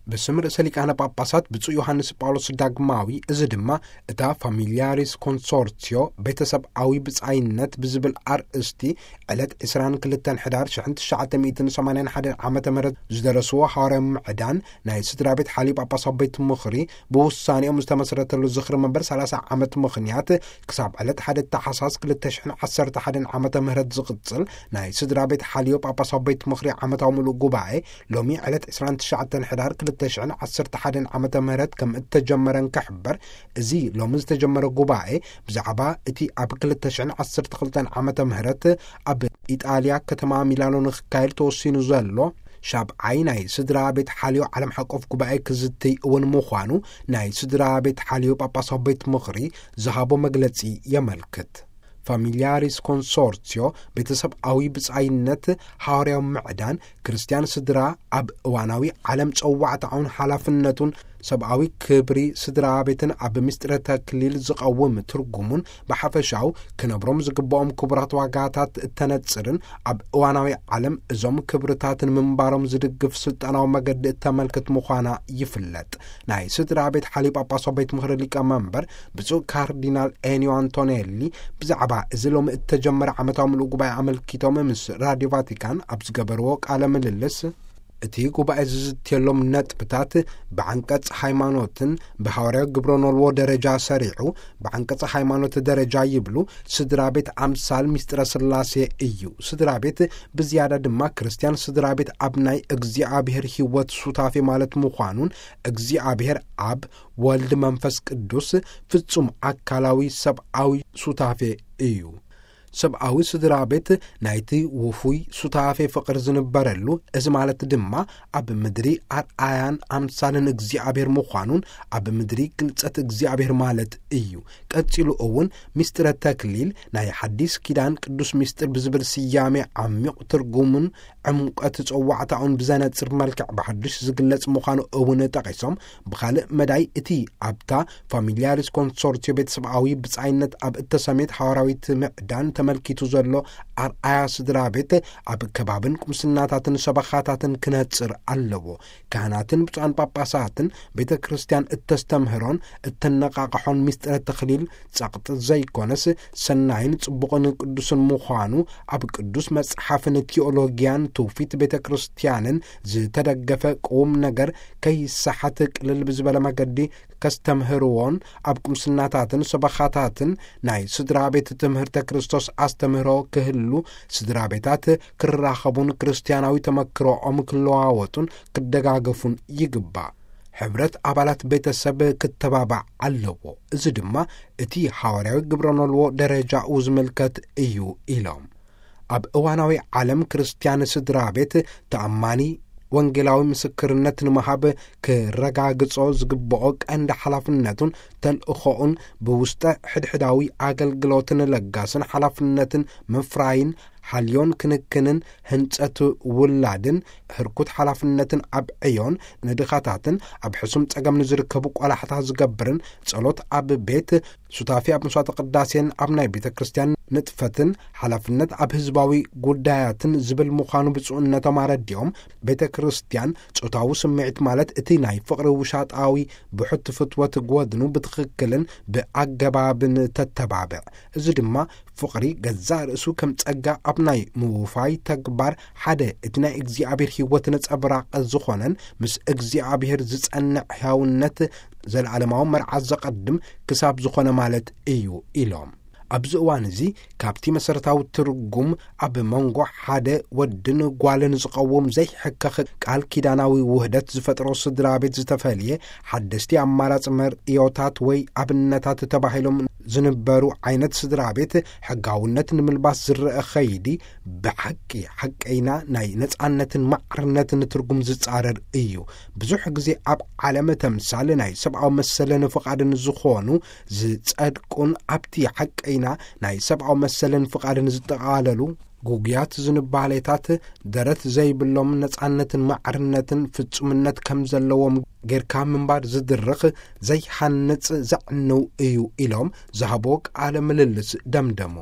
ብስም ርእሰ ሊቃነ ጳጳሳት ብፁዕ ዮሃንስ ጳውሎስ ዳግማዊ፣ እዚ ድማ እታ ፋሚልያሪስ ኮንሶርቲዮ፣ ቤተሰብኣዊ ብጻይነት ብዝብል ኣርእስቲ ዕለት ዕስራን ክልተን ሕዳር ሽሕን ትሽዓተ ሚእትን ሰማንያን ሓደን ዓመተ ምህረት ዝደረስዎ ሃዋርያዊ ምዕዳን ናይ ስድራ ቤት ሓልዮ ጳጳሳዊ ቤት ምኽሪ ብውሳኔኦም ዝተመስረተሉ ዝኽሪ መበል ሰላሳ ዓመት ምኽንያት ክሳብ ዕለት ሓደ ታሕሳስ ክልተ ሽሕን ዓሰርተ ሓደን ዓመተ ምህረት ዝቕጽል ናይ ስድራ ቤት ሓልዮ ጳጳሳዊ ቤት ምኽሪ ዓመታዊ ምሉእ ጉባኤ ሎሚ ዕለት ዕስራን ትሽዓተን ሕዳር ክልተ ሽሕን ዓሰርተ ሓደን ዓመተ ምህረት ከም እተጀመረ እንክሕበር፣ እዚ ሎሚ ዝተጀመረ ጉባኤ ብዛዕባ እቲ ኣብ ክልተ ሽሕን ዓሰርተ ክልተን ዓመተ ምህረት ኣብ ኢጣልያ ከተማ ሚላኖ ንክካየድ ተወሲኑ ዘሎ ሻብዓይ ናይ ስድራ ቤት ሓልዮ ዓለም ሓቆፍ ጉባኤ ክዝትይ እውን ምዃኑ ናይ ስድራ ቤት ሓልዮ ጳጳሳዊ ቤት ምኽሪ ዝሃቦ መግለጺ የመልክት። ፋሚልያሪስ ኮንሶርቲዮ፣ ቤተሰብኣዊ ብጻይነት፣ ሃዋርያዊ ምዕዳን፣ ክርስትያን ስድራ ኣብ እዋናዊ ዓለም ጸዋዕታኡን ሓላፍነቱን፣ ሰብኣዊ ክብሪ ስድራ ቤትን ኣብ ምስጢረ ተክሊል ዝቐውም ትርጉሙን ብሓፈሻው ክነብሮም ዝግብኦም ክቡራት ዋጋታት እተነጽርን ኣብ እዋናዊ ዓለም እዞም ክብርታት ንምንባሮም ዝድግፍ ስልጣናዊ መገዲ እተመልክት ምዃና ይፍለጥ። ናይ ስድራ ቤት ሓልዮ ጳጳሳዊ ቤት ምኽሪ ሊቀ መንበር ብፁዕ ካርዲናል ኤኒዮ ኣንቶኔሊ ብዛዕባ እዚ ሎሚ እተጀመረ ዓመታዊ ምሉእ ጉባኤ ኣመልኪቶም ምስ ራድዮ ቫቲካን ኣብ ዝገበርዎ ቃለ ምልልስ፣ እቲ ጉባኤ ዝዝትየሎም ነጥብታት ብዓንቀጽ ሃይማኖትን ብሃዋርያዊ ግብረ ኖልዎ ደረጃ ሰሪዑ፣ ብዓንቀጽ ሃይማኖት ደረጃ ይብሉ፣ ስድራ ቤት ኣምሳል ምስጢረ ስላሴ እዩ። ስድራ ቤት ብዝያዳ ድማ ክርስትያን ስድራ ቤት ኣብ ናይ እግዚኣብሔር ሕይወት ሱታፌ ማለት ምዃኑን፣ እግዚኣብሔር ኣብ፣ ወልድ፣ መንፈስ ቅዱስ ፍጹም ኣካላዊ ሰብኣዊ ሱታፌ እዩ። ሰብኣዊ ስድራ ቤት ናይቲ ውፉይ ሱታፌ ፍቕሪ ዝንበረሉ፣ እዚ ማለት ድማ ኣብ ምድሪ ኣርኣያን ኣምሳልን እግዚኣብሔር ምዃኑን ኣብ ምድሪ ግልጸት እግዚኣብሔር ማለት እዩ። ቀጺሉ እውን ምስጢረ ተክሊል ናይ ሓዲስ ኪዳን ቅዱስ ምስጢር ብዝብል ስያሜ ዓሚቕ ትርጉሙን ዕምቀት ጸዋዕታኡን ብዘነጽር መልክዕ ብሓድሽ ዝግለጽ ምዃኑ እውን ጠቒሶም፣ ብኻልእ መዳይ እቲ ኣብታ ፋሚልያሪስ ኮንሶርቲዮ ቤተሰብኣዊ ብጻይነት ኣብ እተሰሜት ሓዋርያዊት ምዕዳን ተመልኪቱ ዘሎ ኣርኣያ ስድራ ቤት ኣብ ከባብን ቁምስናታትን ሰበኻታትን ክነጽር ኣለዎ። ካህናትን ብፁዓን ጳጳሳትን ቤተ ክርስቲያን እተስተምህሮን እተነቓቕሖን ምስጢረ ተኽሊል ጸቕጢ ዘይኮነስ ሰናይን ጽቡቕን ቅዱስን ምዃኑ ኣብ ቅዱስ መጽሓፍን ቲዮሎጊያን ትውፊት ቤተ ክርስቲያንን ዝተደገፈ ቁም ነገር ከይሰሓት ቅልል ብዝበለ መገዲ ከስተምህርዎን ኣብ ቁምስናታትን ሰበኻታትን ናይ ስድራ ቤት ትምህርተ ክርስቶስ ኣስተምህሮ ክህሉ፣ ስድራ ቤታት ክራኸቡን ክርስቲያናዊ ተመክሮኦም ክለዋወጡን ክደጋገፉን ይግባእ። ሕብረት ኣባላት ቤተሰብ ክተባባዕ ኣለዎ። እዚ ድማ እቲ ሃዋርያዊ ግብረ ኖልዎ ደረጃኡ ዝምልከት እዩ ኢሎም። ኣብ እዋናዊ ዓለም ክርስትያን ስድራ ቤት ተኣማኒ ወንጌላዊ ምስክርነት ንምሃብ ክረጋግጾ ዝግብኦ ቀንዲ ሓላፍነቱን ተልእኾኡን ብውስጠ ሕድሕዳዊ ኣገልግሎትን ለጋስን ሓላፍነትን ምፍራይን ሓልዮን ክንክንን ህንጸት ውላድን ህርኩት ሓላፍነትን ኣብ ዕዮን ንድኻታትን ኣብ ሕሱም ጸገም ንዝርከቡ ቆላሕታ ዝገብርን ጸሎት ኣብ ቤት ሱታፌ ኣብ መስዋዕተ ቅዳሴን ኣብ ናይ ቤተ ክርስቲያን ንጥፈትን ሓላፍነት ኣብ ህዝባዊ ጉዳያትን ዝብል ምዃኑ ብፁዕነቶም ኣረዲኦም፣ ቤተ ክርስቲያን ጾታዊ ስምዒት ማለት እቲ ናይ ፍቕሪ ውሻጣዊ ብሕቲ ፍትወት ጎድኑ ብትኽክልን ብኣገባብን ተተባብዕ። እዚ ድማ ፍቕሪ ገዛእ ርእሱ ከም ጸጋ ኣብ ናይ ምውፋይ ተግባር ሓደ እቲ ናይ እግዚኣብሔር ሕይወት ነጸብራቕ ዝኾነን ምስ እግዚኣብሔር ዝጸንዕ ሕያውነት ዘለዓለማዊ መርዓ ዘቐድም ክሳብ ዝኾነ ማለት እዩ ኢሎም። ኣብዚ እዋን እዚ ካብቲ መሰረታዊ ትርጉም ኣብ መንጎ ሓደ ወድን ጓልን ዝቐውም ዘይሕከኽ ቃል ኪዳናዊ ውህደት ዝፈጥሮ ስድራ ቤት ዝተፈልየ ሓደስቲ ኣማራጺ መርእዮታት ወይ ኣብነታት ተባሂሎም ዝንበሩ ዓይነት ስድራ ቤት ሕጋውነት ንምልባስ ዝረአ ኸይዲ ብሓቂ ሓቀይና ናይ ነጻነትን ማዕርነትን ትርጉም ዝጻረር እዩ። ብዙሕ ግዜ ኣብ ዓለም ተምሳል ናይ ሰብኣዊ መሰልን ፍቓድን ዝኾኑ ዝጸድቁን ኣብቲ ሓቀይና ናይ ሰብኣዊ መሰልን ፍቓድን ዝጠቓለሉ ጉጉያት ዝንባሌታት ደረት ዘይብሎም ነጻነትን ማዕርነትን ፍጹምነት ከም ዘለዎም ጌርካ ምንባር ዝድርኽ ዘይሃንጽ ዘዕንው እዩ ኢሎም ዝሃቦ ቃለ ምልልስ ደምደሙ።